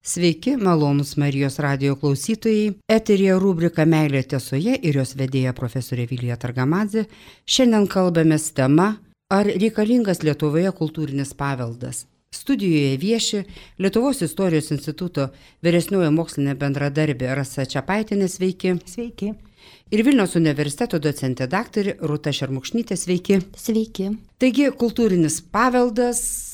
Sveiki, malonūs Marijos radijo klausytojai. Eteryje rubrika Meilė tiesoje ir jos vedėja profesorė Vilija Targamadzė. Šiandien kalbamės tema, ar reikalingas Lietuvoje kultūrinis paveldas. Studijoje vieši Lietuvos istorijos instituto vyresnioji mokslinė bendradarbė Rasa Čepaitinė, sveiki. Sveiki. Ir Vilniaus universiteto docentė daktarė Rūta Šermukšnytė, sveiki. Sveiki. Taigi, kultūrinis paveldas.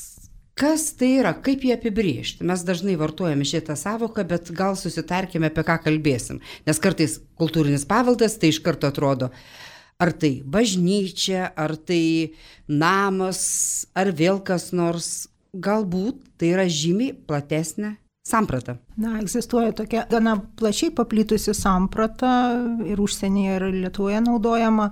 Kas tai yra, kaip jį apibrėžti? Mes dažnai vartojame šitą savoką, bet gal susitarkime, apie ką kalbėsim. Nes kartais kultūrinis paveldas tai iš karto atrodo, ar tai bažnyčia, ar tai namas, ar vėl kas nors. Galbūt tai yra žymiai platesnė samprata. Egzistuoja tokia gana plačiai paplitusi samprata ir užsienyje, ir Lietuvoje naudojama,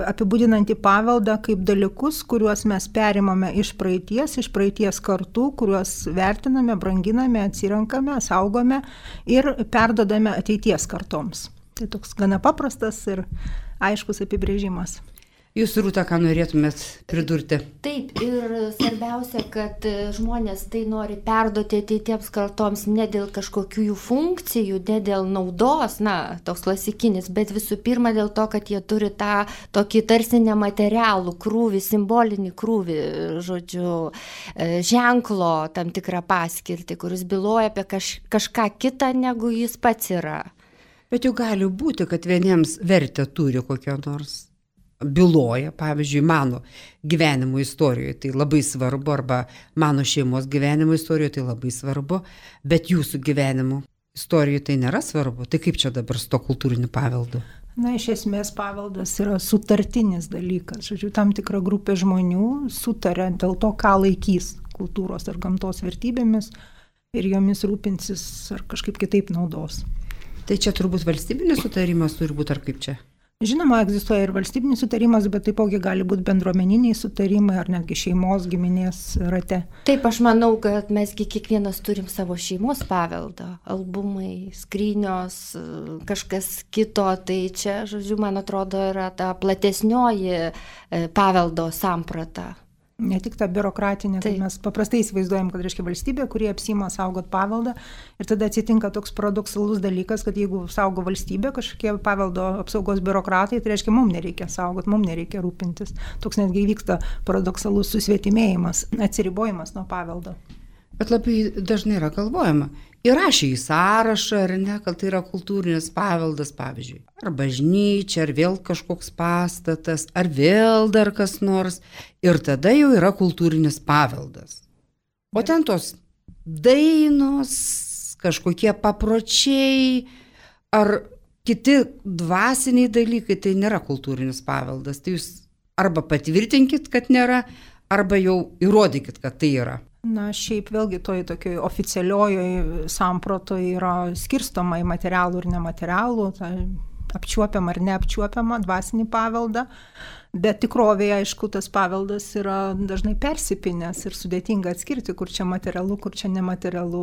apibūdinantį paveldą kaip dalykus, kuriuos mes perimame iš praeities kartų, kuriuos vertiname, branginame, atsirenkame, saugome ir perdodame ateities kartoms. Tai toks gana paprastas ir aiškus apibrėžimas. Jūs, Rūta, ką norėtumėt pridurti? Taip, ir svarbiausia, kad žmonės tai nori perduoti ateitiems kartoms ne dėl kažkokių jų funkcijų, ne dėl naudos, toks klasikinis, bet visų pirma dėl to, kad jie turi tą tokį tarsi nematerialų krūvį, simbolinį krūvį, ženklo tam tikrą paskirtį, kuris byloja apie kažką kitą, negu jis pats yra. Bet jau gali būti, kad vieniems vertę turi kokio nors. Byloja, pavyzdžiui, mano gyvenimo istorijoje tai labai svarbu, arba mano šeimos gyvenimo istorijoje tai labai svarbu, bet jūsų gyvenimo istorijoje tai nėra svarbu. Tai kaip čia dabar su to kultūriniu paveldu? Iš esmės paveldas yra sutartinis dalykas. Tam tikra grupė žmonių sutarė dėl to, ką laikys kultūros ar gamtos vertybėmis ir jomis rūpinsis ar kažkaip kitaip naudos. Tai čia turbūt valstybinis sutarimas turi būti, ar kaip čia? Žinoma, egzistuoja ir valstybinis sutarimas, bet taipogi gali būti bendruomeniniai sutarimai ar netgi šeimos, giminės rate. Taip, aš manau, kad mesgi kiekvienas turim savo šeimos paveldą, albumai, skrynios, kažkas kito, tai čia, man atrodo, yra ta platesnioji paveldo samprata. Ne tik ta biurokratinė, kai mes paprastai įsivaizduojam, kad reiškia valstybė, kurie apsima saugot paveldą ir tada atsitinka toks paradoksalus dalykas, kad jeigu saugo valstybė, kažkokie paveldo apsaugos biurokratai, tai reiškia mums nereikia saugot, mums nereikia rūpintis. Toks netgi vyksta paradoksalus susvetimėjimas, atsiribojimas nuo paveldo. Bet labai dažnai yra galvojama, įrašė į sąrašą, ar ne, kad tai yra kultūrinis paveldas, pavyzdžiui, ar bažnyčia, ar vėl kažkoks pastatas, ar vėl dar kas nors, ir tada jau yra kultūrinis paveldas. O ten tos dainos, kažkokie papročiai, ar kiti dvasiniai dalykai, tai nėra kultūrinis paveldas. Tai jūs arba patvirtinkit, kad nėra, arba jau įrodykit, kad tai yra. Šiaip vėlgi tokioj oficialiojoje sampratoje yra skirstoma į materialų ir nematerialų, apčiuopiamą ar neapčiuopiamą dvasinį paveldą, bet tikrovėje, aišku, tas paveldas yra dažnai persipinęs ir sudėtinga atskirti, kur čia materialu, kur čia nematerialu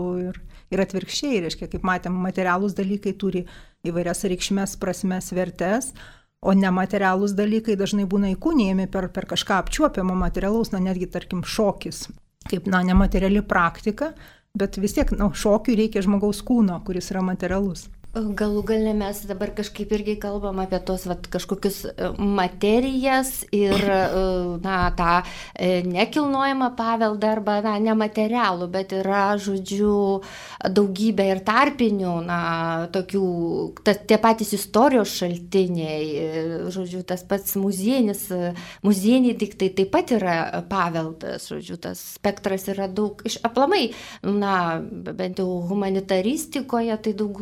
ir atvirkščiai, reiškia, kaip matėm, materialūs dalykai turi įvairias reikšmes, prasmes, vertes, o nematerialūs dalykai dažnai būna įkūnijami per kažką apčiuopiamo materialaus, netgi, tarkim, šokis. Kaip nemateriali praktika, bet vis tiek šokiui reikia žmogaus kūno, kuris yra materialus. Galų gale mes dabar kažkaip irgi kalbam apie tos kažkokius materijas ir tą nekilnojamą paveldą arba nematerialų, bet yra, daugybė ir tarpinių, tokių, tie patys istorijos šaltiniai, tas pats muziejiniai daiktai taip pat yra paveldas, tas spektras yra daug, aplamai, bent jau humanitaristikoje, tai daug,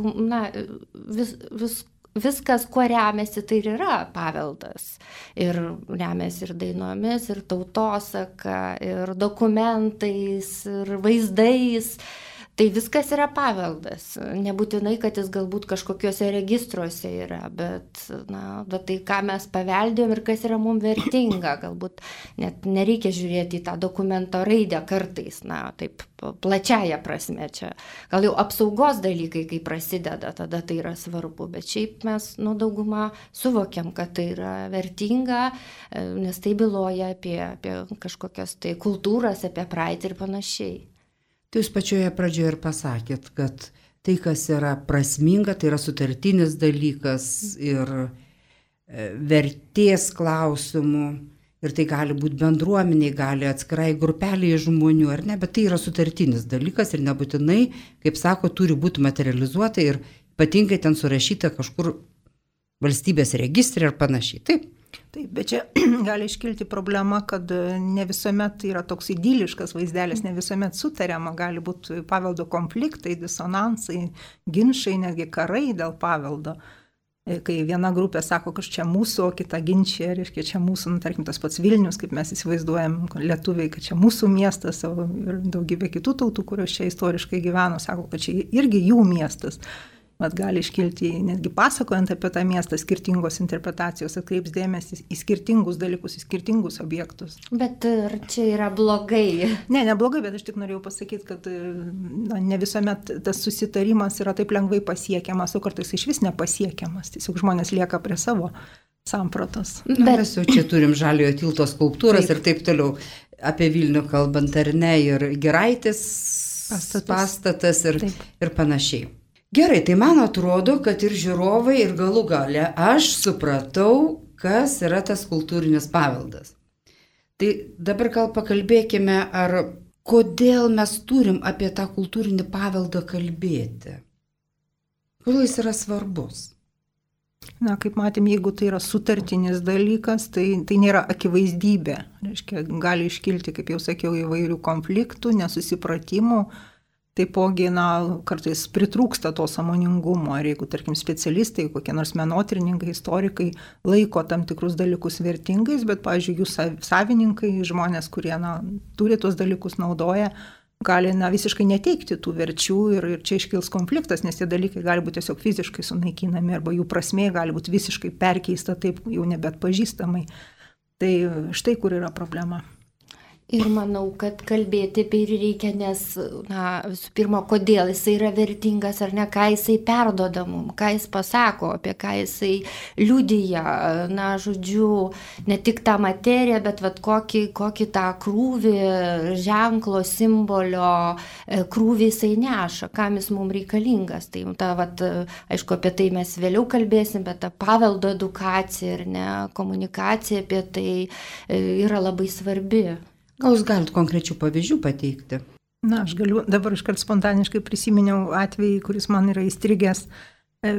viskas, kuo remiasi, tai ir yra paveldas. Ir remiasi ir dainomis, ir tautosaka, ir dokumentais, ir vaizdais. Tai viskas yra paveldas. Nebūtinai, kad jis galbūt kažkokiuose registruose yra, bet tai, ką mes paveldėjom ir kas yra mums vertinga. Galbūt net nereikia žiūrėti į tą dokumento raidę kartais, taip plačiaja prasme čia. Gal jau apsaugos dalykai, kai prasideda, tada tai yra svarbu, bet šiaip mes daugumą suvokiam, kad tai yra vertinga, nes tai byloja apie kažkokias tai kultūras, apie praeitį ir panašiai. Tai jūs pačioje pradžioje ir pasakėt, kad tai, kas yra prasminga, tai yra sutartinis dalykas ir vertės klausimų. Ir tai gali būti bendruomeniai, gali atskirai grupeliai žmonių, ar ne, bet tai yra sutartinis dalykas ir nebūtinai, kaip sako, turi būti materializuota ir ypatingai ten surašyta kažkur valstybės registrė ir panašiai. Taip. Taip, bet čia gali iškilti problema, kad ne visuomet tai yra toks idiliškas vaizdelis, ne visuomet sutariama, gali būti paveldo konfliktai, disonansai, ginčai, netgi karai dėl paveldo. Kai viena grupė sako, kad čia mūsų, o kita ginčia, reiškia, čia mūsų, tarkim, tas pats Vilnius, kaip mes įsivaizduojam lietuviai, kad čia mūsų miestas, ir daugybė kitų tautų, kurios čia istoriškai gyveno, sako, kad čia irgi jų miestas. Bet gali iškilti, netgi pasakojant apie tą miestą, skirtingos interpretacijos, atkreips dėmesį į skirtingus dalykus, į skirtingus objektus. Bet ar čia yra blogai? Ne blogai, bet aš tik norėjau pasakyti, kad ne visuomet tas susitarimas yra taip lengvai pasiekiamas, o kartais iš vis nepasiekiamas. Tiesiog žmonės lieka prie savo sampratos. Mes jau čia turim Žaliojo tilto skulptūras ir taip toliau. Apie Vilnių kalbant ar ne, ir Giraitės pastatas ir panašiai. Gerai, tai man atrodo, kad ir žiūrovai, ir galų gale aš supratau, kas yra tas kultūrinis paveldas. Tai dabar gal pakalbėkime, kodėl mes turim apie tą kultūrinį paveldą kalbėti. Kodėl jis yra svarbus? Na, kaip matėm, jeigu tai yra sutartinis dalykas, tai nėra akivaizdybė. Reiškia, gali iškilti, kaip jau sakiau, įvairių konfliktų, nesusipratimų. Taipogi, kartais pritrūksta to sąmoningumo, ir jeigu, tarkim, specialistai, kokie nors menotyrininkai, istorikai laiko tam tikrus dalykus vertingais, bet, pavyzdžiui, jų savininkai, žmonės, kurie turi tuos dalykus naudoja, gali visiškai neteikti tų verčių ir čia iškils konfliktas, nes tie dalykai gali būti tiesiog fiziškai sunaikinami arba jų prasmė gali būti visiškai perkeista taip jau nebeatpažįstamai. Tai štai kur yra problema. Ir manau, kad kalbėti apie jį reikia, nes, visų pirma, kodėl jisai yra vertingas ar ne, ką jisai perduoda mums, ką jis pasako, apie ką jisai liudija, žodžiu, ne tik tą materiją, bet kokį tą krūvį, ženklo, simbolio krūvį jisai neša, kam jis mums reikalingas. Tai, aišku, apie tai mes vėliau kalbėsim, bet ta paveldo edukacija ir komunikacija apie tai yra labai svarbi. Gal jūs galite konkrečių pavyzdžių pateikti? Aš galiu, dabar iškart spontaniškai prisiminiau atvejį, kuris man yra įstrigęs.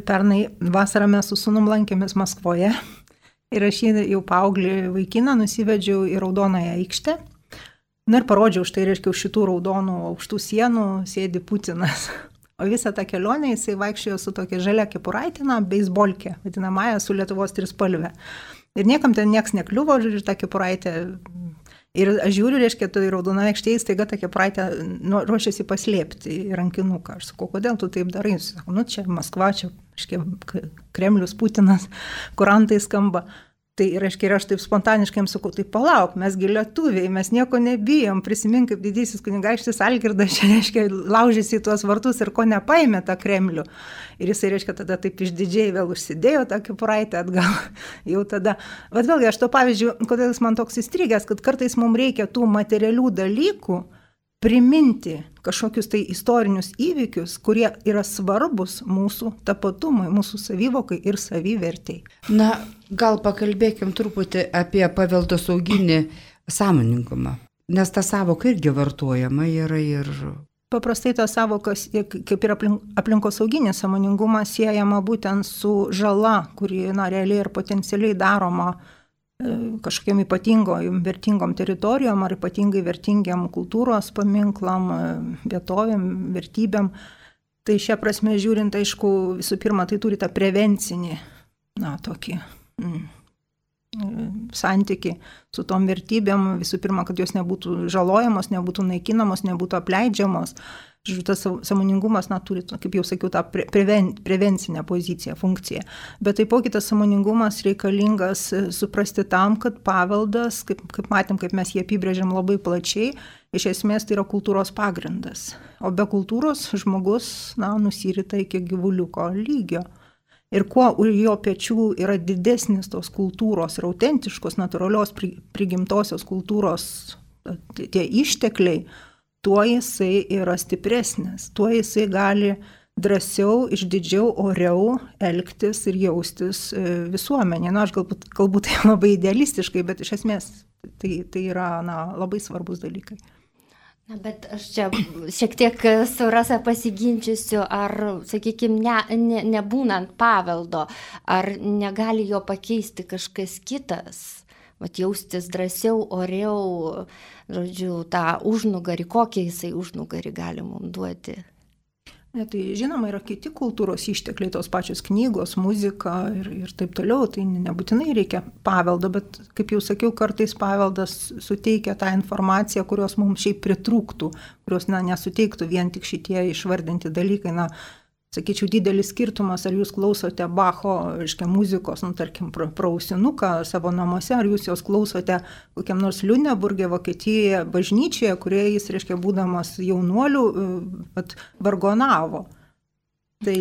Pernai vasarą mes su sūnum lankėmės Maskvoje ir aš jį jau paauglį vaikiną nusivedžiau į Raudonąją aikštę. Ir parodžiau štai, reiškia, už šitų raudonų aukštų sienų sėdi Putinas. O visą tą kelionę jisai vaikščiojo su tokia žalia kepuraitė, beisbolkė, vadinamąją su Lietuvos trispalve. Ir niekam ten nieks nekliuvo, žodžiu, tą kepuraitę. Ir aš žiūriu, reiškia, tai Raudonoje aikštėje staiga tą kepuraitę ruošiasi paslėpti į rankinuką. Aš sakau, kodėl tu taip darai? Jis sako, čia Maskva, čia, reiškia, Kremlius, Putinas, kurantai skamba. Tai, reiškia, ir aš taip spontaniškai jam sakau, tai palauk, mesgi lietuviai, mes nieko nebijom, prisimink, kaip didysis kunigaikštis Algirdas, čia, reiškia, laužėsi į tuos vartus ir ko nepaėmė tą Kremlių. Ir jisai, reiškia, tada taip išdidžiai vėl užsidėjo tą kepuraitę atgal. Jau tada. Bet vėlgi, aš to pavyzdžiui, kodėl jis man toks įstrigęs, kad kartais mums reikia tų materialių dalykų priminti kažkokius tai istorinius įvykius, kurie yra svarbus mūsų tapatumui, mūsų savivokai ir savivertei. Gal pakalbėkim truputį apie paveldosauginį sąmoningumą, nes ta savoka irgi vartojama yra ir... Paprastai ta savoka, kaip ir aplinkosauginis sąmoningumas, siejama būtent su žala, kuri realiai ir potencialiai daroma kažkokiam ypatingom vertingom teritorijom ar ypatingai vertingiam kultūros paminklam, vietovėm, vertybėm. Tai šią prasme žiūrint, aišku, visų pirma, tai turi tą prevencinį, tokį santykį su tom vertybėm. Visų pirma, kad jos nebūtų žalojamos, nebūtų naikinamos, nebūtų apleidžiamos. Žiūrėjau, tas sąmoningumas turi, kaip jau sakiau, tą prevencinę poziciją, funkciją. Bet taipogi tas sąmoningumas reikalingas suprasti tam, kad paveldas, kaip matėm, kaip mes jį apibrėžiam labai plačiai, iš esmės tai yra kultūros pagrindas. O be kultūros žmogus nusirita iki gyvuliuko lygio. Ir kuo už jo pečių yra didesnis tos kultūros ir autentiškos, natūralios prigimtosios kultūros tie ištekliai, tuo jisai yra stipresnis, tuo jisai gali drąsiau, išdidžiau, oriau elgtis ir jaustis visuomenė. Na, aš galbūt tai labai idealistiškai, bet iš esmės tai yra labai svarbus dalykai. Na, bet aš čia šiek tiek su Rasa pasiginčysiu, ar, sakykime, nebūnant paveldo, ar negali jo pakeisti kažkas kitas, jaustis drąsiau, oriau, žodžiu, tą užnugarį, kokį jisai užnugarį gali mums duoti. Ne, tai žinoma, yra kiti kultūros ištekliai, tos pačios knygos, muzika ir taip toliau, tai nebūtinai reikia paveldo, bet, kaip jau sakiau, kartais paveldas suteikia tą informaciją, kurios mums šiaip pritrūktų, kurios nesuteiktų vien tik šitie išvardinti dalykai. Sakyčiau, didelis skirtumas, ar jūs klausote Bacho, muzikos, tarkim, praausinuką savo namuose, ar jūs jos klausote kokiam nors Liuneburge, Vokietijoje, bažnyčioje, kurioje jis, būdamas jaunuoliu, vargonavo. Tai,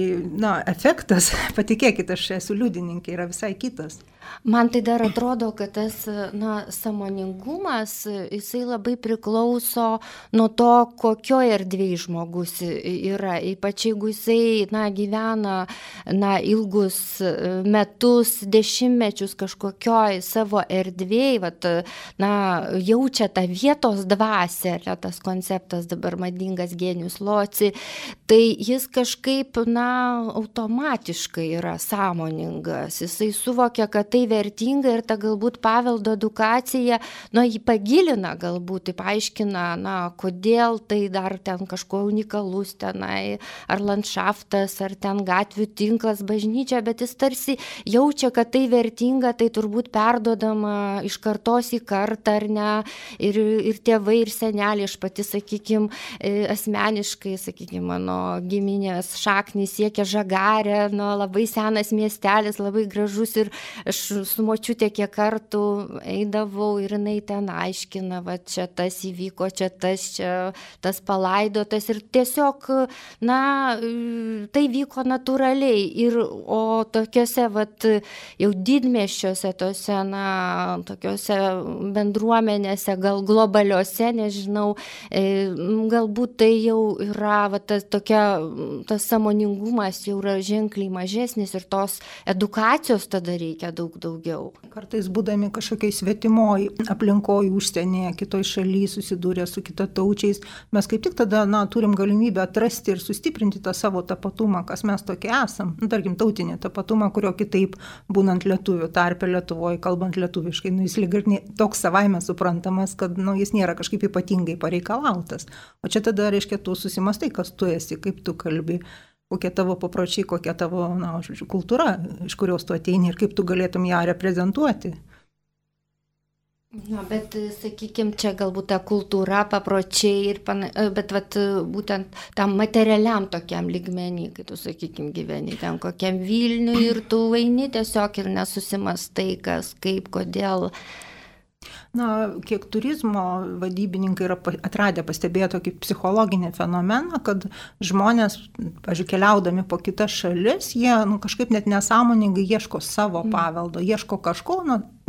efektas, patikėkit, aš esu liudininkė, yra visai kitas. Man tai dar atrodo, kad tas sąmoningumas, jisai labai priklauso nuo to, kokioje erdvėje žmogus yra. Ypač jeigu jisai gyvena ilgus metus, dešimtmečius kažkokioj savo erdvėje, jaučia tą vietos dvasią, tas konceptas dabar madingas genius loci, tai jis kažkaip automatiškai yra sąmoningas. Jisai suvokia, kad tai vertinga ir ta galbūt paveldo edukacija, jį pagilina galbūt, tai paaiškina, kodėl tai dar ten kažko unikalus tenai, ar landšaftas, ar ten gatvių tinklas, bažnyčia, bet jis tarsi jaučia, kad tai vertinga, tai turbūt perduodama iš kartos į kartą, ar ne, ir tėvai, ir seneliai, aš pati, sakykime, asmeniškai, mano giminės šaknys siekia Žagarę, labai senas miestelis, labai gražus, ir aš su močiutė kiek kartų eidavau ir jinai ten aiškina, čia tas įvyko, čia tas palaidotas, ir tiesiog, tai vyko natūraliai, o tokiuose, jau didmiesčiuose, tokiuose bendruomenėse, gal globaliuose, nežinau, galbūt tai jau yra, tas sąmoningumas jau yra ženkliai mažesnis ir tos edukacijos tada reikia daug daugiau. Kartais būdami kažkokiai svetimoji aplinkoje, užsienyje, kitoj šalyje susidūrę su kitataučiais, mes kaip tik tada turim galimybę atrasti ir sustiprinti tą savo tapatumą, kas mes tokie esam. Tarkim, tautinį tapatumą, kurio kitaip būnant lietuvių tarpe Lietuvoje, kalbant lietuviškai, jis lyg ir toks savaime suprantamas, kad jis nėra kažkaip ypatingai pareikalautas. O čia tada, tu susimastai, kas tu esi, kaip tu kalbi, kokie tavo papročiai, kokia tavo, kultūra, iš kurios tu ateini ir kaip tu galėtum ją reprezentuoti. Bet, sakykime, čia galbūt ta kultūra, papročiai, bet būtent tam materialiam tokiam lygmenį, kai tu, sakykime, gyveni ten kokiam Vilniui ir tu eini tiesiog ir nesusimastai, kas, kaip, kodėl. Kiek turizmo vadybininkai yra atradę, pastebėję tokį psichologinį fenomeną, kad žmonės, pavyzdžiui, keliaudami po kitas šalis, jie kažkaip net nesąmoningai ieško savo paveldo, ieško kažko,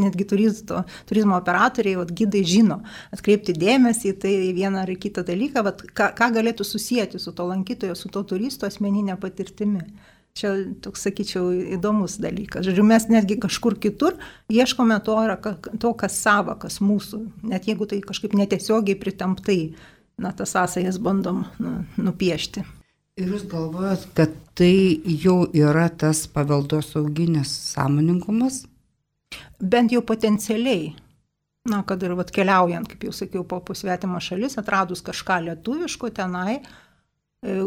netgi turizmo operatoriai, gidai žino, atkreipti dėmesį į tai vieną ar kitą dalyką, ką galėtų susijęti su to lankytojo, su to turisto asmeninė patirtimi. Čia toks, sakyčiau, įdomus dalykas. Žodžiu, mes netgi kažkur kitur ieškome to, kas sava, kas mūsų. Net jeigu tai kažkaip netiesiogiai pritemptai, tas sąsajas bandom nupiešti. Ir jūs galvojat, kad tai jau yra tas paveldosauginis sąmoningumas? Bent jau potencialiai. Kad ir keliaujant, kaip jau sakiau, po svetimą šalis, atradus kažką lietuviško tenai,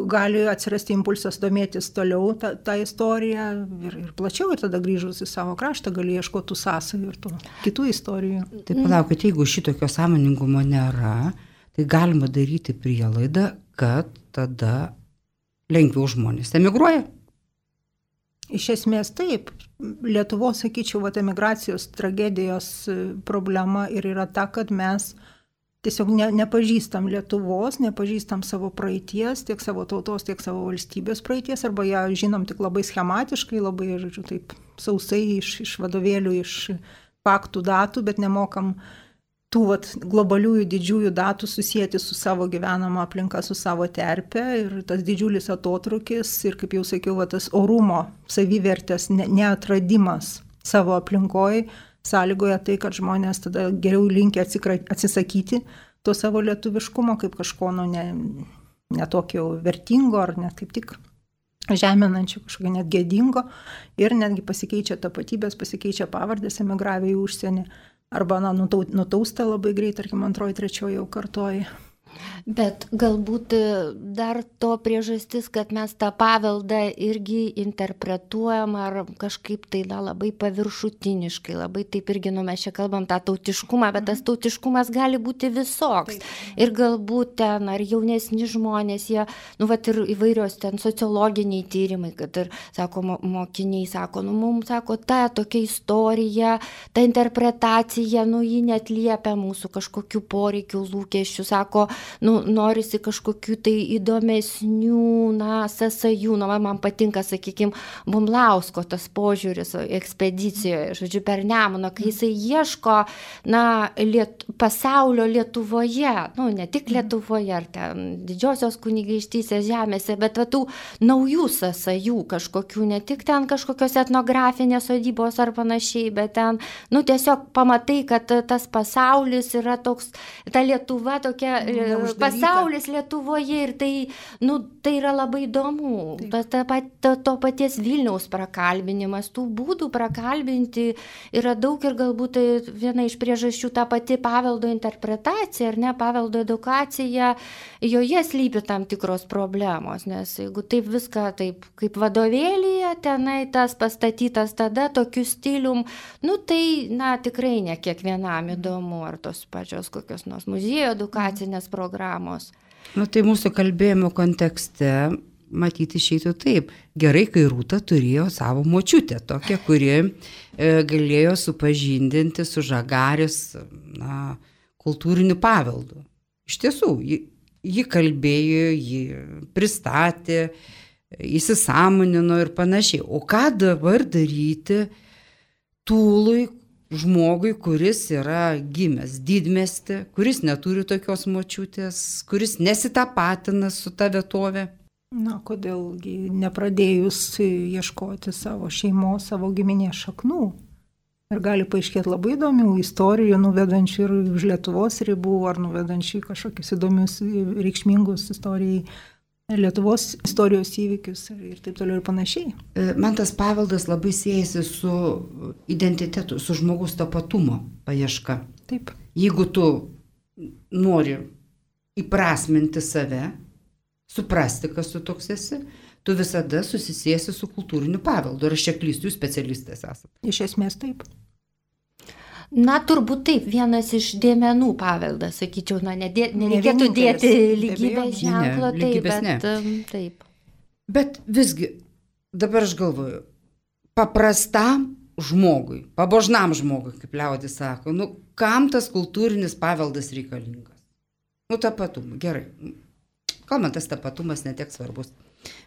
gali atsirasti impulsas domėtis toliau tą istoriją ir plačiau, ir tada grįžus į savo kraštą gali ieškoti tų sąsajų ir tų kitų istorijų. Tai palaukit, jeigu šitokio sąmoningumo nėra, tai galima daryti prielaidą, kad tada lengviau žmonės emigruoja. Iš esmės taip. Lietuvos, sakyčiau, emigracijos tragedijos problema ir yra ta, kad mes tiesiog nepažįstam Lietuvos, nepažįstam savo praeities, tiek savo tautos, tiek savo valstybės praeities, arba ją žinom tik labai schematiškai, labai, taip sausai iš vadovėlių, iš faktų, datų, bet nemokam tų globaliųjų didžiųjų datų susijęti su savo gyvenama aplinka, su savo terpe ir tas didžiulis atotrukis ir, kaip jau sakiau, tas orumo, savivertės neatradimas savo aplinkoje sąlygoja tai, kad žmonės tada geriau linkia atsisakyti to savo lietuviškumo kaip kažko netokio vertingo ar net kaip tik žeminančio, kažkokio net gėdingo ir netgi pasikeičia tapatybės, pasikeičia pavardės emigravę į užsienį arba nutausta labai greit, tarkim, antroji, trečioji jau kartoji. Bet galbūt dar to priežastis, kad mes tą paveldą irgi interpretuojam ar kažkaip tai labai paviršutiniškai, labai taip irgi, mes čia kalbam tą tautiškumą, bet tas tautiškumas gali būti visoks. Ir galbūt ten ar jaunesni žmonės, jie, ir įvairios ten sociologiniai tyrimai, kad ir, sako, mokiniai, sako, mums, sako, ta tokia istorija, ta interpretacija, ji neatliepia mūsų kažkokių poreikių, lūkesčių, sako, norisi kažkokių tai įdomesnių, sąsajų, man patinka, sakykime, Bumblausko tas požiūris ekspedicijoje, žodžiu, per Nemuną, kai jisai ieško, pasaulio Lietuvoje, ne tik Lietuvoje, ar ten didžiosios kunigaikštystės žemėse, bet tų naujų sąsajų kažkokių, ne tik ten kažkokios etnografinės sodybos ar panašiai, bet ten, tiesiog pamatai, kad tas pasaulis yra toks, ta Lietuva tokia, pasaulis Lietuvoje ir tai yra labai įdomu. To paties Vilniaus prakalbinimas, tų būdų prakalbinti yra daug ir galbūt tai viena iš priežasčių ta pati paveldo interpretacija, ar ne, paveldo edukacija, joje slypi tam tikros problemos, nes jeigu taip viską taip kaip vadovėlyje, tenai tas pastatytas tada tokiu stilium, tai tikrai ne kiekvienam įdomu, ar tos pačios kokios nors muziejų edukacinės programos. Tai mūsų kalbėjimo kontekste matyti išeitų taip. Gerai, kai Rūta turėjo savo močiutę, tokią, kuri galėjo supažindinti su Žagarės kultūriniu paveldu. Iš tiesų, ji kalbėjo, ji pristatė, įsisąmonino ir panašiai. O ką dabar daryti Tūlui, žmogui, kuris yra gimęs didmieste, kuris neturi tokios močiutės, kuris nesitapatina su ta vietovė? Kodėlgi nepradėjus ieškoti savo šeimos, savo giminės šaknų? Ir gali paaiškėti labai įdomių istorijų, nuvedančių ir už Lietuvos ribų, ar nuvedančių kažkokius įdomius, reikšmingus istorijai Lietuvos istorijos įvykius ir taip toliau ir panašiai. Man tas paveldas labai siejasi su identitetu, su žmogaus tapatumo paieška. Taip. Jeigu tu nori įprasminti save, suprasti, kas tu toks esi, tu visada susisiesi su kultūriniu paveldu. Ar aš čia klystu, jūs specialistas esate? Iš esmės taip. Turbūt taip, vienas iš dėmenų paveldas, sakyčiau, nereikėtų dėti lygybės ženklo, taip. Bet visgi, dabar aš galvoju, paprastam žmogui, pabožnam žmogui, kaip liaudis sako, kam tas kultūrinis paveldas reikalingas? Tapatumą, gerai. Gal man tas tapatumas netiek svarbus.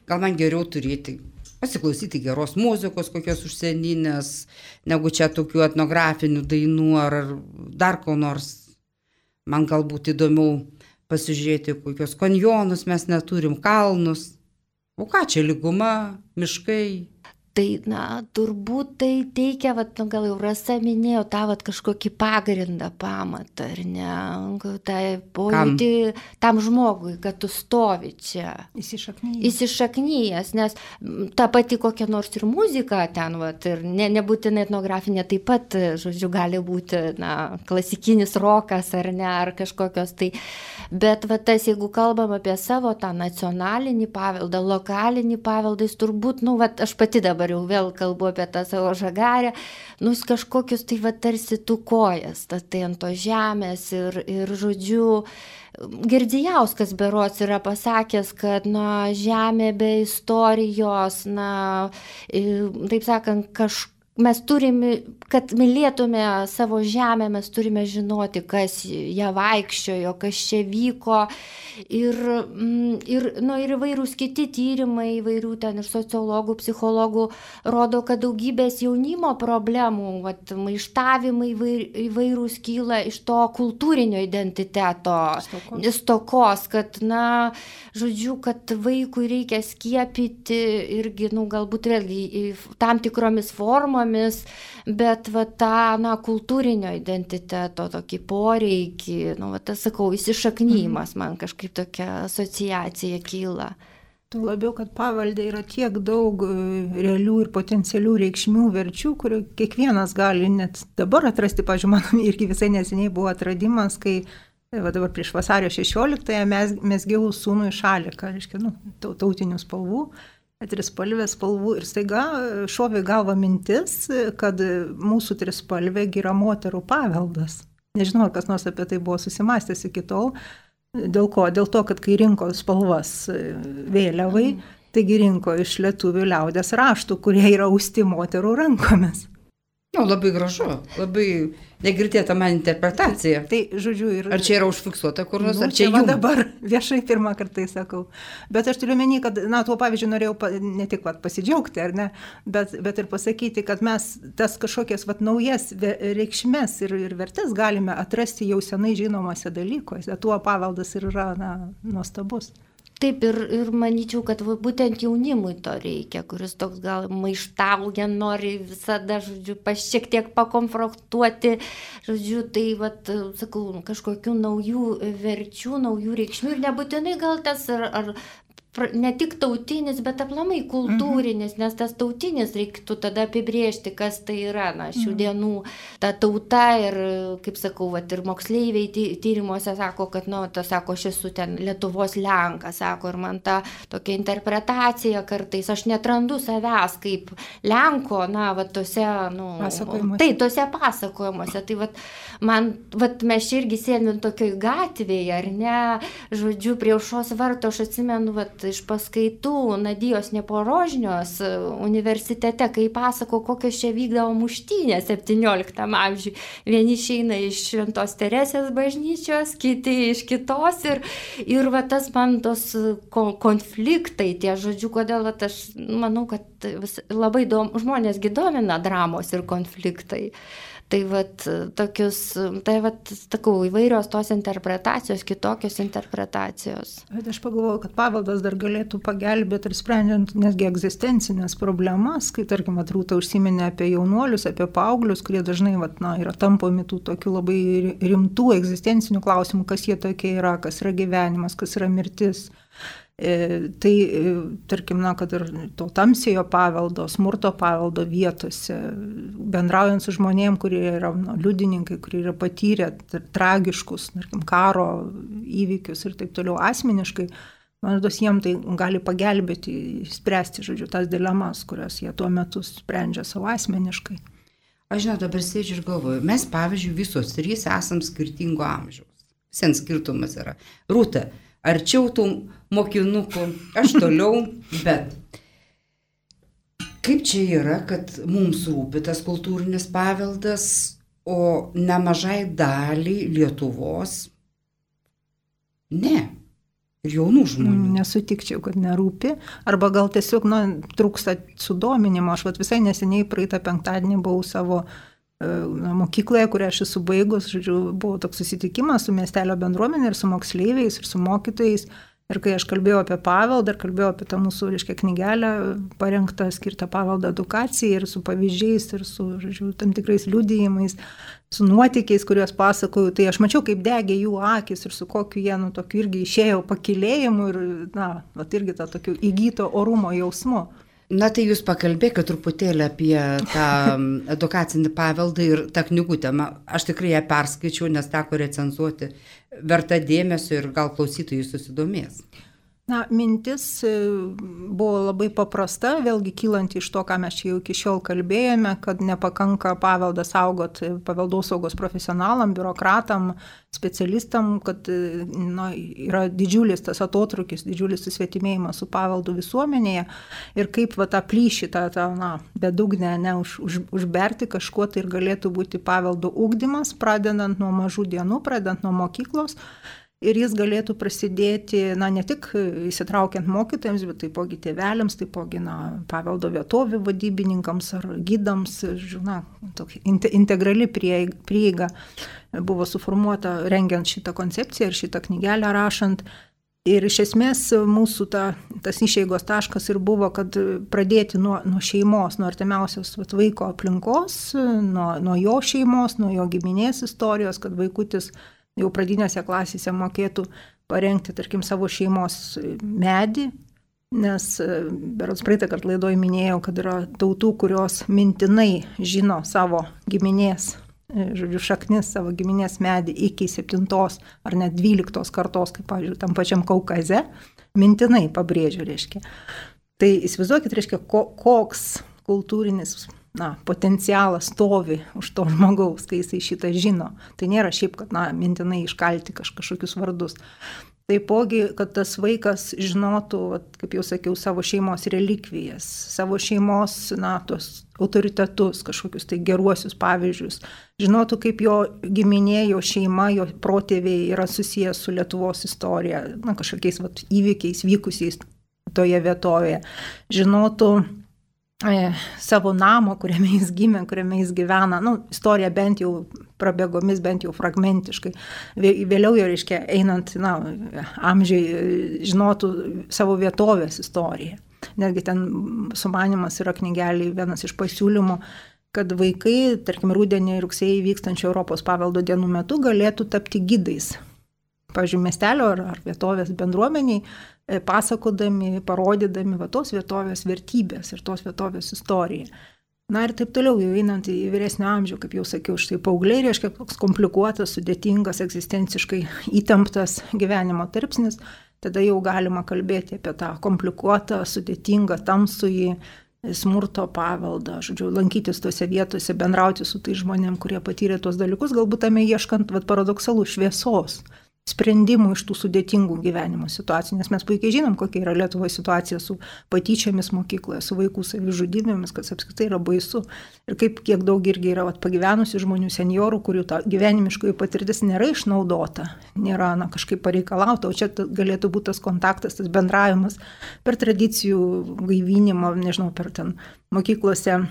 Gal man geriau turėti, pasiklausyti geros muzikos, kokios užsieninės, negu čia tokių etnografinių dainų ar dar ko nors. Man galbūt įdomiau pasižiūrėti, kokios kanjonus mes neturim, kalnus. O ką čia, lyguma, miškai? Tai, turbūt tai teikia, gal jau Rasa minėjo, tą kažkokį pagrindą, pamatą, ar ne, tą pojūtį tam žmogui, kad tu stovi čia. Įsišaknyjęs, nes ta pati kokia nors ir muzika ten, ir nebūtinai etnografinė, taip pat, žodžiu, gali būti, klasikinis rokas, ar ne, ar kažkokios tai. Bet tas, jeigu kalbam apie savo tą nacionalinį paveldą, lokalinį paveldą, jis turbūt, aš pati dabar jau vėl kalbu apie tą savo Žagarę, kažkokius tai tarsi tu kojas, tai ant to žemės ir žodžiu, Girdzijauskas berods yra pasakęs, kad žemė be istorijos, taip sakant, mes turime, kad mylėtume savo žemę, mes turime žinoti, kas ją vaikščiojo, kas čia vyko. Ir įvairūs kiti tyrimai, įvairių ten ir sociologų, psichologų rodo, kad daugybės jaunimo problemų, maištavimai įvairūs kyla iš to kultūrinio identiteto stokos, kad, kad vaikui reikia skiepyti irgi, galbūt vėlgi tam tikromis formomis, bet tą kultūrinio identiteto tokį poreikį, sakau, įsišaknyjimas man kažkaip tokia asociacija kyla. Tuo labiau, kad pavelde yra tiek daug realių ir potencialių reikšmių verčių, kurių kiekvienas gali net dabar atrasti. Pavyzdžiui, man irgi visai neseniai buvo atradimas, kai dabar prieš vasario 16-ąją mesgiau sūnui šaliką, reiškia, tautinių spalvų, trispalvės spalvų, ir staiga šovė galva mintis, kad mūsų trispalvė yra moterų paveldas. Nežinau, ar kas nors apie tai buvo susimastęs iki tol. Dėl ko? Dėl to, kad kai rinko spalvas vėliavai, taigi rinko iš lietuvių liaudės raštų, kurie yra austi moterų rankomis. Labai gražu, labai negirdėta man interpretacija. Tai, žodžiu, ar čia yra užfiksuota kur nors, ar čia jums? Dabar viešai pirmą kartą sakau. Bet aš turiu menį, kad, tuo pavyzdžiui norėjau ne tik pasidžiaugti, ar ne, bet ir pasakyti, kad mes tas kažkokias naujas reikšmes ir vertes galime atrasti jau senai žinomose dalykuose. Tuo paveldas ir yra nuostabus. Taip, ir manyčiau, kad būtent jaunimui to reikia, kuris toks gal maištauja, nori visada, šiek tiek pakonfrontuoti, tai, sakau, kažkokių naujų verčių, naujų reikšmių, ir nebūtinai gal tas ar ne tik tautinis, bet aplamai kultūrinis, nes tas tautinis reiktų tada apibrėžti, kas tai yra, šių dienų ta tauta, ir, kaip sakau, ir moksleiviai tyrimuose sako, kad, sako, aš esu ten Lietuvos lenkas, sako, ir man ta tokia interpretacija kartais, aš netrandu savęs kaip lenko, tose, tose pasakojimuose, tai, man, mes irgi sėdime tokioj gatvėje, ar ne, žodžiu, prie aušros varto, aš atsimenu, iš paskaitų Nadijos Neporožnios universitete, kai pasako, kokios čia vykdavo muštynės 17 amžiui. Vieni išeina iš Šventos Teresės bažnyčios, kiti iš kitos, ir tas man tos konfliktai, tie, žodžiu, kodėl aš manau, kad labai žmonėsgi domina dramos ir konfliktai. Tai tokius, sakau, įvairios tos interpretacijos, kitokios interpretacijos. Bet aš pagalvoju, kad paveldas dar galėtų pagelbėti ir sprendžiant nesgi egzistencinės problemas, kai, tarkim, Rūta užsiminė apie jaunuolius, apie paauglius, kurie dažnai yra tampomi tų tokių labai rimtų egzistencinių klausimų, kas jie tokie yra, kas yra gyvenimas, kas yra mirtis. Tai, tarkim, kad ir to tamsiojo paveldo, smurto paveldo vietose, bendraujant su žmonėm, kurie yra liudininkai, kurie yra patyrę tragiškus, tarkim, karo įvykius ir taip toliau asmeniškai, man rodos, jiem tai gali pagelbėti spręsti, žodžiu, tas dilemas, kurias jie tuo metu sprendžia savo asmeniškai. Aš dabar sėdžiu ir galvoju, mes, pavyzdžiui, visos trys esam skirtingo amžiaus. Sen skirtumas yra. Rūta, arčiau tų mokinukų, aš toliau, bet kaip čia yra, kad mums rūpi tas kultūrinis paveldas, o nemažai daliai Lietuvos ne, ir jaunų žmonių. Nesutikčiau, kad nerūpi, arba gal tiesiog trūksta sudominimo. Aš visai neseniai praeitą penktadienį buvau savo mokykloje, kurią aš esu baigus, žodžiu, buvo toks susitikimas su miestelio bendruomenė ir su moksleiviais ir su mokytojais. Ir kai aš kalbėjau apie paveldą, ir kalbėjau apie tą mūsų, knygelę parengtą, skirtą paveldo edukacijai, ir su pavyzdžiais, ir su, žodžiu, tam tikrais liudijimais, su nuotykiais, kuriuos pasakoju, tai aš mačiau, kaip degė jų akis ir su kokiu jie, tokiu irgi išėjo pakylėjimu ir, irgi tą tokiu įgyto orumo jausmu. Tai jūs pakalbėkite truputėlį apie tą edukacinį paveldą ir tą knygutę. Aš tikrai ją perskaičiau, nes teko recenzuoti, verta dėmesio ir gal klausytojai susidomės. Na, mintis buvo labai paprasta, vėlgi kylant iš to, ką mes čia jau iki šiol kalbėjome, kad nepakanka paveldą saugoti paveldosaugos profesionalam, biurokratam, specialistam, kad yra didžiulis tas atotrukis, didžiulis susvetimėjimas su paveldu visuomenėje ir kaip tą plyšį, bedugnę užberti kažkuo, tai ir galėtų būti paveldo ugdymas, pradedant nuo mažų dienų, pradedant nuo mokyklos. Ir jis galėtų prasidėti, ne tik įsitraukiant mokytojams, bet taipogi tėveliams, taipogi paveldo vietovių vadybininkams ar gidams, tokia integrali prieiga buvo suformuota rengiant šitą koncepciją ir šitą knygelę rašant. Ir iš esmės mūsų tas išeigos taškas ir buvo, kad pradėti nuo šeimos, nuo artimiausios vaiko aplinkos, nuo jo šeimos, nuo jo giminės istorijos, kad vaikutis jau pradinėse klasėse mokėtų parengti, tarkim, savo šeimos medį, nes berods praeitą kartą laidoje minėjau, kad yra tautų, kurios mintinai žino savo giminės, šaknis, savo giminės medį iki 7 ar net 12 kartos, kaip, pavyzdžiui, tam pačiam Kaukaze, mintinai pabrėžiu, reiškia. Tai įsivaizduokit, reiškia, koks kultūrinis potencialas stovi už to žmogaus, kai jisai šitą žino. Tai nėra šiaip, kad mintinai iškalti kažkokius vardus. Taipogi, kad tas vaikas žinotų, kaip jau sakiau, savo šeimos relikvijas, savo šeimos, tos autoritetus, kažkokius tai geruosius pavyzdžius. Žinotų, kaip jo giminė, jo šeima, jo protėviai yra susijęs su Lietuvos istorija, kažkokiais įvykiais vykusiais toje vietovėje. Žinotų savo namo, kuriame jis gimė, kuriame jis gyvena, istorija bent jau prabėgomis, bent jau fragmentiškai. Vėliau jau, reiškia, einant amžiai, žinotų savo vietovės istoriją. Netgi ten sumanimas yra knygeliai, vienas iš pasiūlymų, kad vaikai, tarkim, rudenį ir rugsėjį vykstančio Europos paveldo dienų metu galėtų tapti gidais. Pavyzdžiui, miestelio ar vietovės bendruomeniai, pasakodami, parodydami tos vietovės vertybės ir tos vietovės istoriją. Ir taip toliau, jau einant į vyresnio amžių, kaip jau sakiau, štai paaugliai reiškia toks komplikuotas, sudėtingas, egzistenciškai įtemptas gyvenimo tarpsnis, tada jau galima kalbėti apie tą komplikuotą, sudėtingą, tamsųjį smurto paveldą, lankytis tose vietose, bendrauti su tais žmonėm, kurie patyrė tuos dalykus, galbūt tame ieškant paradoksalų šviesos, sprendimų iš tų sudėtingų gyvenimo situacijų, nes mes puikiai žinom, kokia yra Lietuvoje situacija su patyčiomis mokykloje, su vaikų savižudybėmis, kad apskritai yra baisu. Ir kiek daug irgi yra pagyvenusių žmonių, seniorų, kurių ta gyvenimiškoji patirtis nėra išnaudota, nėra kažkaip pareikalauta, o čia galėtų būti tas kontaktas, tas bendravimas per tradicijų gaivinimą, nežinau, per ten mokyklose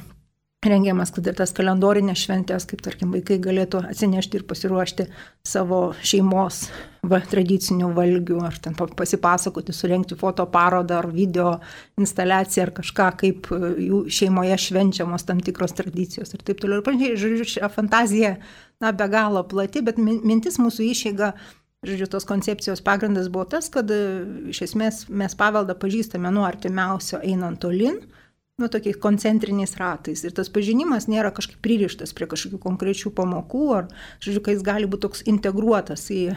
rengiamas, kad ir tas kalendorinės šventės, kaip tarkim vaikai galėtų atsinešti ir pasiruošti savo šeimos tradicinių valgių, ar ten pasipasakoti, surengti fotoparodą ar video instaliaciją ar kažką, kaip jų šeimoje švenčiamos tam tikros tradicijos ir taip toliau. Ir panašiai, žodžiu, fantazija be galo plati, bet mintis mūsų išeiga, žodžiu, tos koncepcijos pagrindas buvo tas, kad iš esmės mes paveldą pažįstame nuo artimiausio einant tolin, tokiais koncentriniais ratais. Ir tas pažinimas nėra kažkaip pririštas prie kažkokių konkrečių pamokų, ar, žodžiu, kai jis gali būti toks integruotas į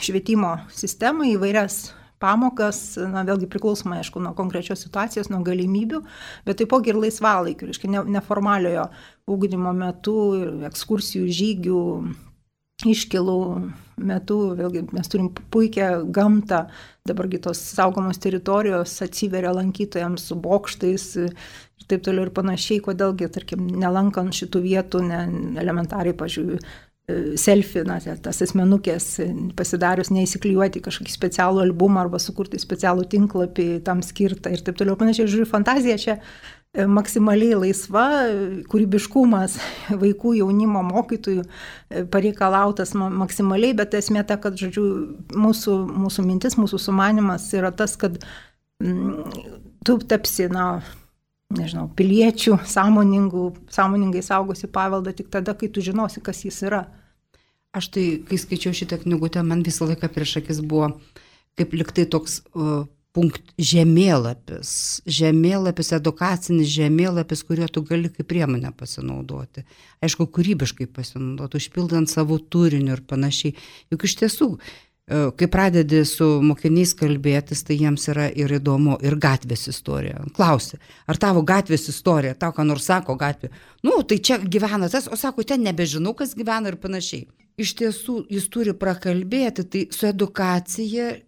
švietimo sistemą, į vairias pamokas, vėlgi priklausomai, aišku, nuo konkrečios situacijos, nuo galimybių, bet taipogi ir laisvalaikių, reiškia, neformaliojo ugdymo metu, ekskursijų, žygių, iškilų metu, vėlgi mes turim puikią gamtą, dabargi tos saugomos teritorijos atsiveria lankytojams su bokštais ir taip toliau ir panašiai, kodėlgi, tarkim, nelankant šitų vietų, elementariai, pažiūrėjau, selfie, tas asmenukės pasidarius, neįsiklijuoti kažkokį specialų albumą arba sukurti specialų tinklapį tam skirtą ir taip toliau. Panašiai, žiūrėjau, fantazija čia maksimaliai laisva, kūrybiškumas vaikų, jaunimo, mokytojų pareikalautas maksimaliai, bet esmė ta, kad, žodžiu, mūsų mintis, mūsų sumanimas yra tas, kad tu tapsi, nežinau, piliečių, sąmoningai saugosi paveldą tik tada, kai tu žinosi, kas jis yra. Aš tai, kai skaičiau šitą knygutę, man visą laiką prieš akis buvo kaip liktai toks žemėlapis, edukacinis žemėlapis, kuriuo tu gali kaip priemonę pasinaudoti. Aišku, kūrybiškai pasinaudoti, užpildant savo turiniu ir panašiai. Juk iš tiesų kai pradedi su mokiniais kalbėtis, tai jiems yra ir įdomu, ir gatvės istorija. Klausi, ar tavo gatvės istorija, tau ką nors sako gatvė, tai čia gyvena tas, o sako, ten nebežinau, kas gyvena ir panašiai. Iš tiesų, jis turi prakalbėti, tai su edukacija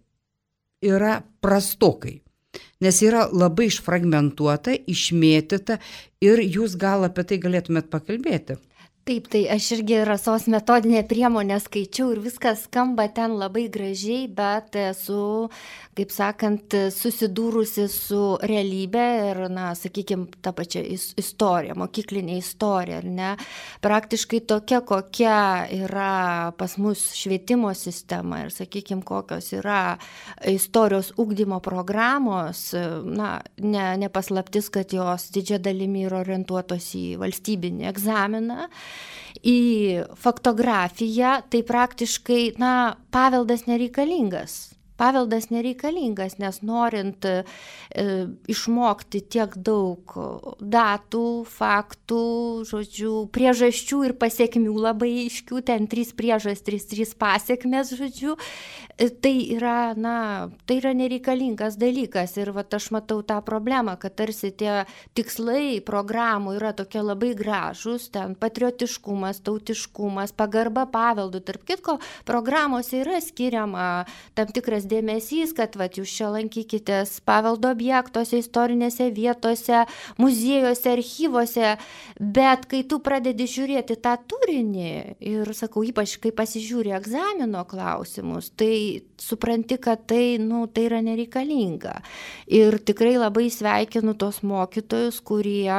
yra prastokai, nes yra labai išfragmentuota, išmėtyta ir jūs gal apie tai galėtumėt pakalbėti. Taip, tai aš irgi Rasos metodinę priemonę skaičiau ir viskas skamba ten labai gražiai, bet esu, kaip sakant, susidūrusi su realybė ir, sakykime, tą pačią istoriją, mokyklinė istorija, ar ne? Praktiškai tokia, kokia yra pas mus švietimo sistema ir, sakykime, kokios yra istorijos ugdymo programos, nepaslaptis, kad jos didžia dalimi yra orientuotos į valstybinį egzaminą. Į faktografiją, tai praktiškai, paveldas nereikalingas. Paveldas nereikalingas, nes norint išmokti tiek daug datų, faktų, priežasčių ir pasiekmių labai aiškių, ten 3 priežastys, 3 pasiekmes, tai yra nereikalingas dalykas. Ir aš matau tą problemą, kad tarsi tie tikslai programų yra tokie labai gražus, ten patriotiškumas, tautiškumas, pagarba paveldui. Tarp kitko, programuose yra skiriama tam tikras dėmesys, kad jūs čia lankykitės paveldo objektuose, istorinėse vietose, muziejuose, archyvose, bet kai tu pradedi žiūrėti tą turinį ir, sakau, ypač kai pasižiūri egzamino klausimus, tai supranti, kad tai yra nereikalinga. Ir tikrai labai sveikinu tos mokytojus, kurie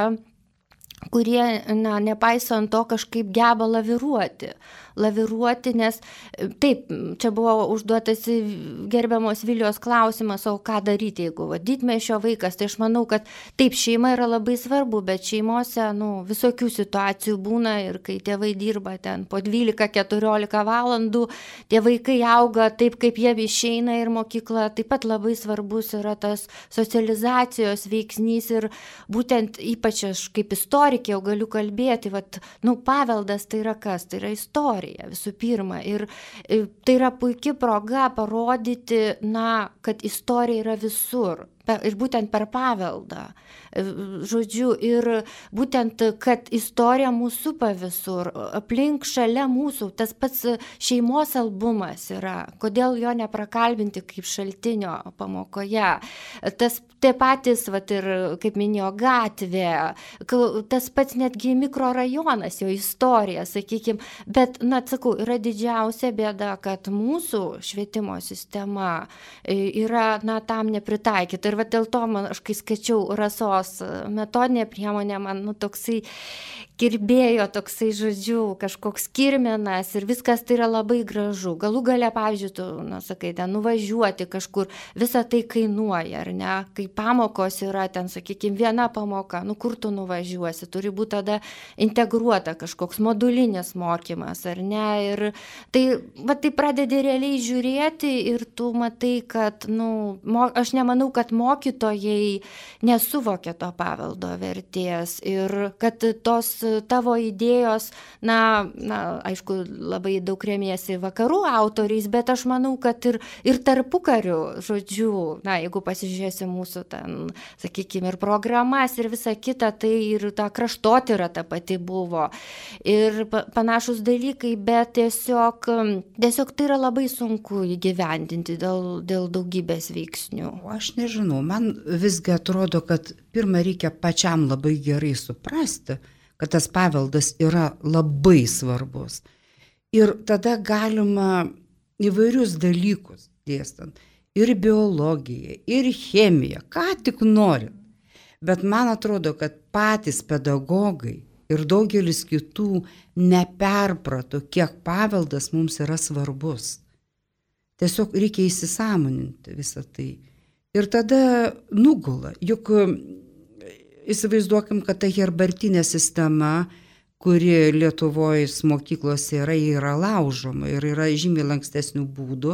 nepaisant to kažkaip geba laviruoti, nes taip, čia buvo užduotas gerbiamos Vilijos klausimas, o ką daryti, jeigu didmiesčio vaikas, tai aš manau, kad taip, šeima yra labai svarbu, bet šeimose visokių situacijų būna ir kai tėvai dirba ten po 12-14 valandų, tie vaikai auga taip, kaip jie išeina ir mokykla taip pat labai svarbus yra tas socializacijos veiksnys ir būtent ypač aš kaip istorikė jau galiu kalbėti, paveldas tai yra kas? Tai yra istorija visų pirma ir tai yra puikia proga parodyti, kad istorija yra visur. Ir būtent per paveldą. Ir būtent, kad istorija mūsų supa visur, aplink šalia mūsų, tas pats šeimos albumas yra, kodėl jo neprakalbinti kaip šaltinio pamokoje. Tie patys, ir kaip minėjo, gatvė, tas pats netgi mikrorajonas, jo istorija, sakykime, bet, sakau, yra didžiausia bėda, kad mūsų švietimo sistema yra, tam nepritaikyta. Ir dėl to aš kai skaičiau Rasos metodinė priemonė, man toksai kirbėjo, kažkoks kirminas ir viskas tai yra labai gražu. Galų gale, pavyzdžiui, tu, sakai, ten nuvažiuoti kažkur, visa tai kainuoja, ar ne? Kai pamokos yra ten, sakykime, viena pamoka, kur tu nuvažiuosi, turi būti tada integruota kažkoks modulinis mokymas, ar ne? Ir tai pradedi realiai žiūrėti ir tu matai, kad, aš nemanau, kad mokytojai nesuvokia to paveldo vertės ir kad tos tavo idėjos, aišku, labai daug remiesi vakarų autoriais, bet aš manau, kad ir tarpukariu, jeigu pasižiūrėsi mūsų ten, sakykime, ir programas ir visa kita, tai ir ta kraštotyra ta pati buvo ir panašus dalykai, bet tiesiog tai yra labai sunku įgyvendinti dėl daugybės veiksnių. Aš nežinau, man visgi atrodo, kad pirmą reikia pačiam labai gerai suprasti, kad tas paveldas yra labai svarbus. Ir tada galima įvairius dalykus dėstant. Ir biologiją, ir chemiją, ką tik norit. Bet man atrodo, kad patys pedagogai ir daugelis kitų neperprato, kiek paveldas mums yra svarbus. Tiesiog reikia įsisąmoninti visą tai. Ir tada nugula, juk įsivaizduokim, kad ta herbartinė sistema, kuri Lietuvoje mokyklose yra laužoma ir yra žymiai lankstesnių būdų,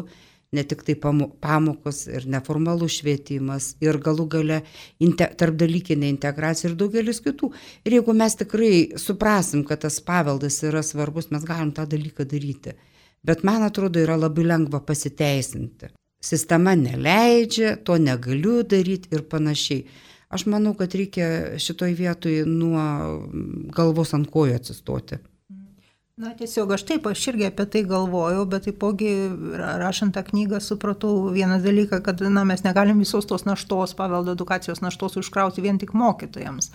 ne tik tai pamokos ir neformalus švietimas ir galų gale tarpdalykinė integracija ir daugelis kitų. Ir jeigu mes tikrai suprasim, kad tas paveldas yra svarbus, mes galim tą dalyką daryti. bet man atrodo yra labai lengva pasiteisinti. Sistema neleidžia, to negaliu daryti ir panašiai. Aš manau, kad reikia šitoj vietoj nuo galvos ant kojų atsistoti. Na tiesiog aš irgi apie tai galvojau, bet taipogi rašant tą knygą supratau vieną dalyką, kad mes negalim visos tos naštos, paveldo edukacijos naštos užkrauti vien tik mokytojams.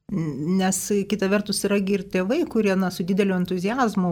Nes kita vertus yra ir tėvai, kurie su dideliu entuziazmu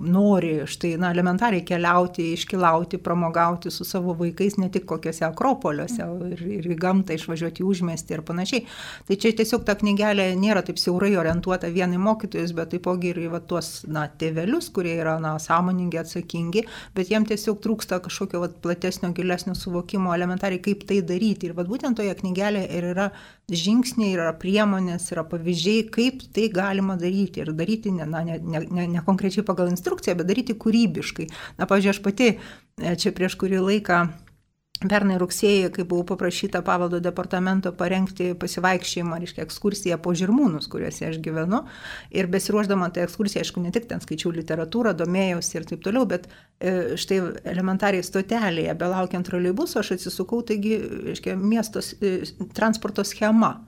nori elementariai keliauti, iškeliauti, pramogauti su savo vaikais ne tik kokiuose akropoliuose ir į gamtą išvažiuoti į užmiestį ir panašiai. Tai čia tiesiog ta knygelė nėra taip siaurai orientuota vien į mokytojus, bet taipogi ir į tuos tėvelius, kurie yra sąmoningi, atsakingi, bet jiem tiesiog trūksta kažkokio platesnio, gilesnio suvokimo elementariai, kaip tai daryti. Ir būtent toje knygelėje ir yra žingsniai, yra priemonės, yra pavyzdžiai, kaip tai galima daryti. Ir daryti ne konkrečiai pagal instrukciją, bet daryti kūrybiškai. Pavyzdžiui, aš pati čia prieš kurį laiką, pernai rugsėjį, kai buvau paprašyta paveldo departamento parengti pasivaikščiojimą, ekskursiją po Žirmūnus, kuriuose aš gyvenu. Ir besiruošdama tą ekskursiją, aišku, ne tik ten skaičiau literatūrą, domėjausi ir taip toliau, bet štai elementariai stotelėje, belaukiant troleibuso, aš atsisukau, taigi, miesto transporto schema.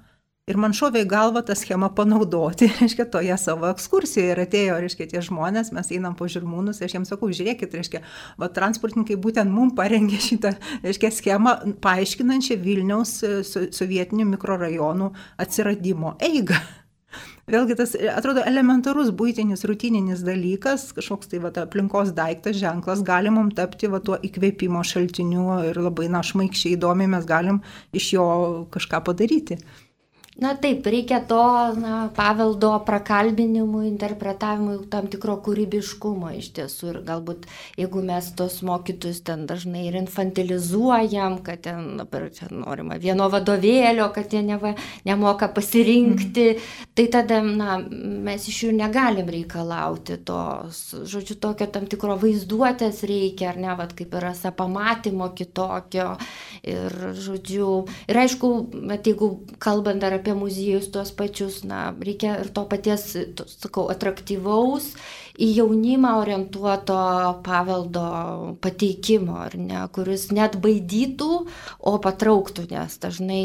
Ir man šovė į galvą tą schemą panaudoti, toje savo ekskursijoje. Ir atėjo, tie žmonės, mes einam po Žirmūnus, aš jiems sakau, žiūrėkit, transportininkai būtent mums parengė šitą, schemą paaiškinančią Vilniaus sovietinių mikrorajonų atsiradimo eigą. Vėlgi tas atrodo elementarus buitinis, rutininis dalykas, kažkoks aplinkos daiktas, ženklas, gali mums tapti tuo įkvėpimo šaltiniu ir labai šmaikščiai įdomiai mes galim iš jo kažką padaryti. Na taip, reikia to paveldo prakalbinimui, interpretavimui, tam tikro kūrybiškumo iš tiesų. Ir galbūt, jeigu mes tos mokytus ten dažnai ir infantilizuojam, kad ten norima vieno vadovėlio, kad jie nemoka pasirinkti, tai tada mes iš jų negalim reikalauti tos, žodžiu, tokio tam tikro vaizduotės reikia, ar ne, kaip yra pamatymo kitokio. Ir, žodžiu, ir aišku, jeigu kalbant dar apie muziejus tuos pačius, reikia ir to paties, sakau, atraktyvaus, į jaunimą orientuoto paveldo pateikimo, ar ne, kuris net baidytų, o patrauktų, nes dažnai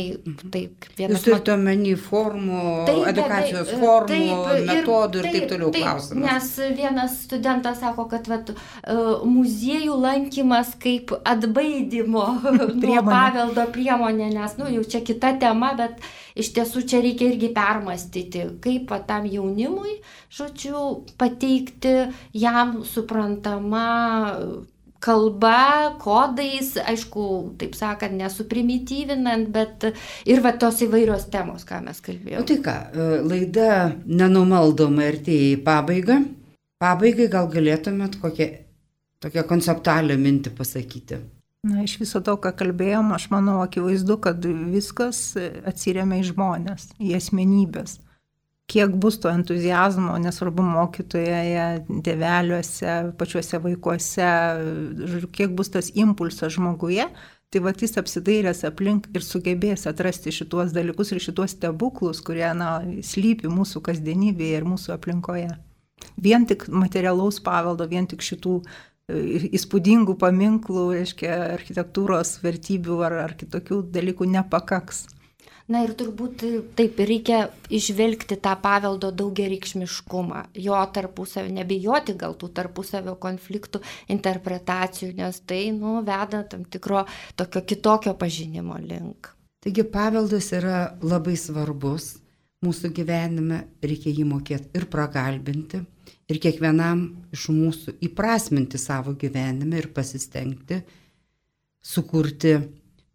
taip vienas... Jūs turite omeny formų, edukacijos formų, metodų ir taip toliau klausimas. Nes vienas studentas sako, kad muziejų lankymas kaip atbaidymo nuo paveldo priemonė, nes jau čia kita tema, bet iš tiesų čia reikia irgi permastyti, kaip tam jaunimui, žodžiu, pateikti jam suprantama kalba, kodais, aišku, taip sakant, nesuprimityvinant, bet ir tos įvairios temos, ką mes kalbėjome. Tai ką, laida nenumaldomai artėja į pabaigą. Pabaigai gal galėtumėt tokią konceptualią mintį pasakyti? Iš viso to, ką kalbėjom, aš manau, akivaizdu, kad viskas atsiremia į žmonės, į asmenybės. Kiek bus to entuziazmo, nesvarbu mokytoje, tėveliuose, pačiuose vaikuose, kiek bus tas impulsas žmoguje, tai jis apsidairęs aplink ir sugebės atrasti šituos dalykus ir šituos stebuklus, kurie slypi mūsų kasdienybėje ir mūsų aplinkoje. Vien tik materialaus paveldo, vien tik šitų įspūdingų paminklų, architektūros vertybių ar kitokių dalykų nepakaks. Na ir turbūt taip reikia išvelgti tą paveldo daugiareikšmiškumą, jo tarpusavio, nebijoti gal tų tarpusavio konfliktų, interpretacijų, nes tai veda tam tikro tokio kitokio pažinimo link. Taigi paveldas yra labai svarbus mūsų gyvenime, reikia jį mokėti ir prakalbinti, ir kiekvienam iš mūsų įprasminti savo gyvenime ir pasistengti sukurti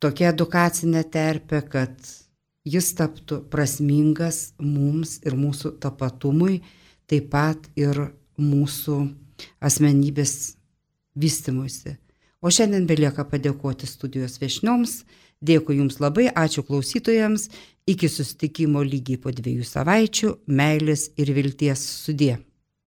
tokią edukacinę terpę, kad jis taptų prasmingas mums ir mūsų tapatumui, taip pat ir mūsų asmenybės vystymuisi. O šiandien belieka padėkoti studijos viešnioms. Dėkui Jums labai, ačiū klausytojams. Iki susitikimo lygiai po 2 savaičių. Meilės ir vilties sudie.